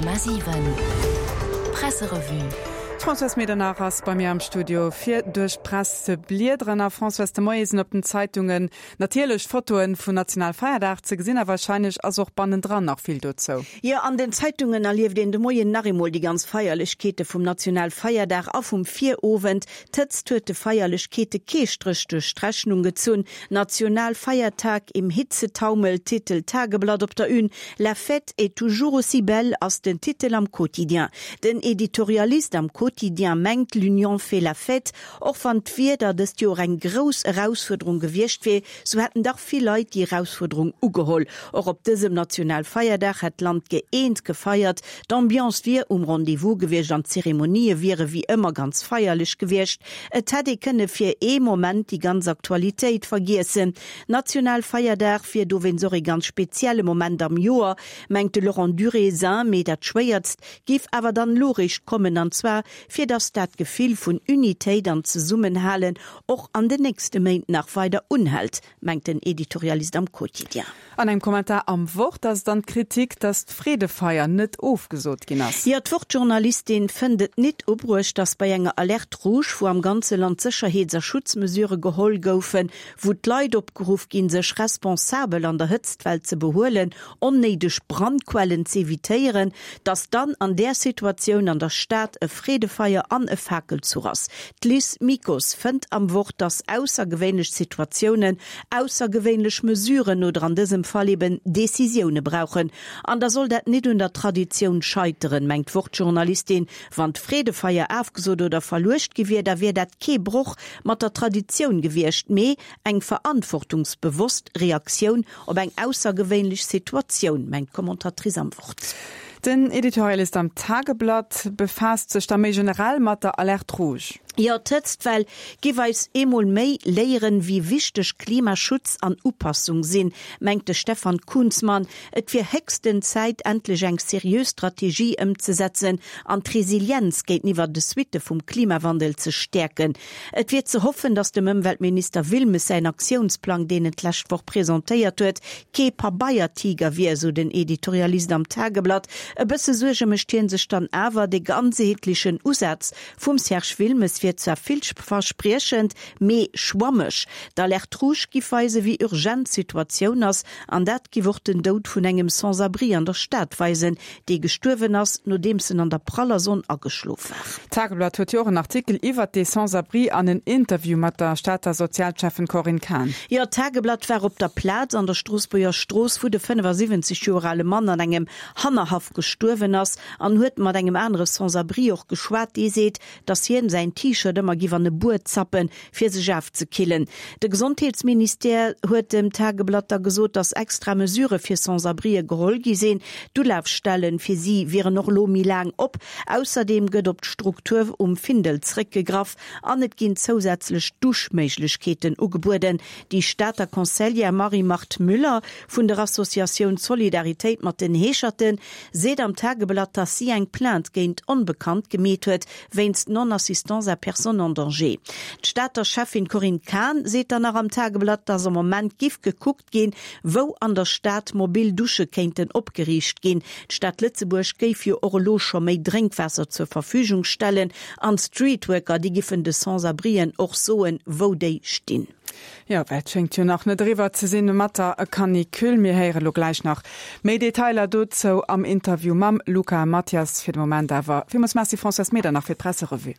100,7 Presserevue. D'Françoise Medernach ass bei mir am Studio fir duerch d'Press ze bliederen. A Françoise, de Moie sinn op den Zeitungen natierlech Fotoen vun Nationalfeierdag ze gesinn a wahrscheinlech ass och bannendran nach vill dozou. Jo, an den Zeitungen erlieft een de Moien nach eemol déi ganz Feierlechkeete vum Nationalfeierdag a vum Virowend. D'Hëtzt huet de Feierlechkeete kee Stréch duerch d'Rechnung gezunn. Nationalfeiertag im Hitzetaumel, titelt d'Tageblatt op der Une. La fête est toujours aussi belle ass den Titel am Quotidien. Den Editorialist am Quotidien mengt, L'union fait la fête. Och wann d'Wieder dëst Joer eng grouss Erausfuerderung gewiescht wier, sou hätten dach vill Leit déi Erausfuerderung ugeholl. Och op dësem Nationalfeierdag hätt d'Land gëeent gefeiert. D'Ambiance wier um Rendez-vous gewiescht an d'Zeremonië wiere wéi ëmmer ganz feierlech gewiescht. Et hätt ee kënne fir ee Moment déi ganz Aktualitéit vergiessen. Nationalfeierdag wier dowéinst och ee ganz spezielle Moment am Joer, mengt de Laurent Durézin. Mee dat Schwéiertst géif awer dann elo réischt kommen, an zwar fir datt dat Gefill vun Unitéit an Zesummenhalen och an den nächste Méint nach weider unhält, mengt den Editorialist am Quotidien. An engem Kommentar am Wort ass dann d'Kritik, datt d'Freedefeier net ofgesot ginn ass. Jo, d'Wort-Journalistin fënnt et nit ubruecht, datt bei enger Alerte rouge, wou am ganze Land Sécherheets a Schutzmesurë geholl goufen, wou d'Leit opgeruff ginn, sech responsabel an der Hëtztwell ze behuelen, onnéideg Brandquellen z'evitéieren, datt dann an där Situatioun an der Stad e Freedefeier an e Fakelzuch ass. D'Liz Mikos fënnt am Wort, datt aussergewéinlech Situatiounen aussergewéinlech Mesuren oder an dësem Fall eben Decisioune brauchen. An da soll dat nit un der Traditioun scheiteren, mengt d'Wort-Journalistin. Wann d'Freedefeier afgesot oder verluecht gi wier, da wier dat kee Broch mat der Traditioun gewiescht, mee eng verantwortungsbewosst Reaktioun op eng aussergewéinlech Situatioun, mengt d'Commentatrice am Wort. Den Editorialist am Tageblatt befaasst sech da méi generell mat der Alerte rouge. Jo, d'Hëtztwell giff eis eemol méi léieren, wéi wichteg Klimaschutz an Upassung sinn, mengt de Stefan Kunzmann. Et wier héchsten Zäit, endlech eng seriö Strategie ëmzesetzen an d'Resilienz géinteniwwer de Suitte vum Klimawandel ze stäerken. Et wier ze hoffen, datt dem Ëmweltminister Wilmes säin Aktiounsplang, deen en d'lescht Woch presentéiert huet, kee Pabeiertiger wier, esou den Editorialist am Tageblatt. E bësse Suerge mécht hien sech dann awer, De ganzheetlechen Usaz vum Serge Wilmes wier zwar villverspriechend, mee schwammeg. D'Alerte rouge giff weisen, wéi urgent d'Situatioun ass, an dat giff och den Doud vun engem Sans-abri an der Stad weisen, dee gestuerwen ass, nodeems en an der praller Sonn ageschlof war. D'Tageblatt huet jo och en Artikel iwwert dee Sans-abri an en Interview mat der Stater Sozialschäffen Corinne Cahen. Jo, d'Tageblatt war op der Plaz an der Stroossbuerger Strooss, wou de 75 Joer ale Mann an engem Hannerhaff gestuerwen ass an huet mat engem anere Sans-abri och geschwat, dee seet, dass hien säin T-Shirt ëmmer giff an e Buet zappen, fir sech afzekillen. De Gesondheetsministère huet dem Tageblatt da gesot, dass extra Mesurë fir Sans-abrien geholl gi sinn. D'Ulafstellen fir si wieren och elo méi laang op. Ausserdeem gëtt op d'Struktur um Findel zréckgegraff an et ginn zousätzlech Duschméiglechkeeten ugebueden. Déi Stater Conseillère Marie-Marthe Müller vun der Associatioun Solidaritéit mat den Heescherten seet am Tageblatt, dass si eng Plainte géint Onbekannt gemeet huet, wéinst Non-assistance à personne en danger. D'Stater Schäffin Corinne Cahen seet dann nach am Tageblatt, dass am Moment giff gekuckt ginn, wou an der Stad mobil Dusche kéinten opgeriicht ginn. D'Stad Lëtzebuerg géif jo och elo scho méi Drénkwaasser zur Verfügung stellen an d'Streetworker, déi giffen de Sans-abrien och soen, wou déi stinn. Jo, well et schéngt jo nach net eriwwer ze sinn mat der Canicule. Mir héiere lo gläich nach méi Detailer dozou am Interview mam Luca Mathias. Fir de Moment awer villmools Merci Françoise Medernach fir d'Presserevue.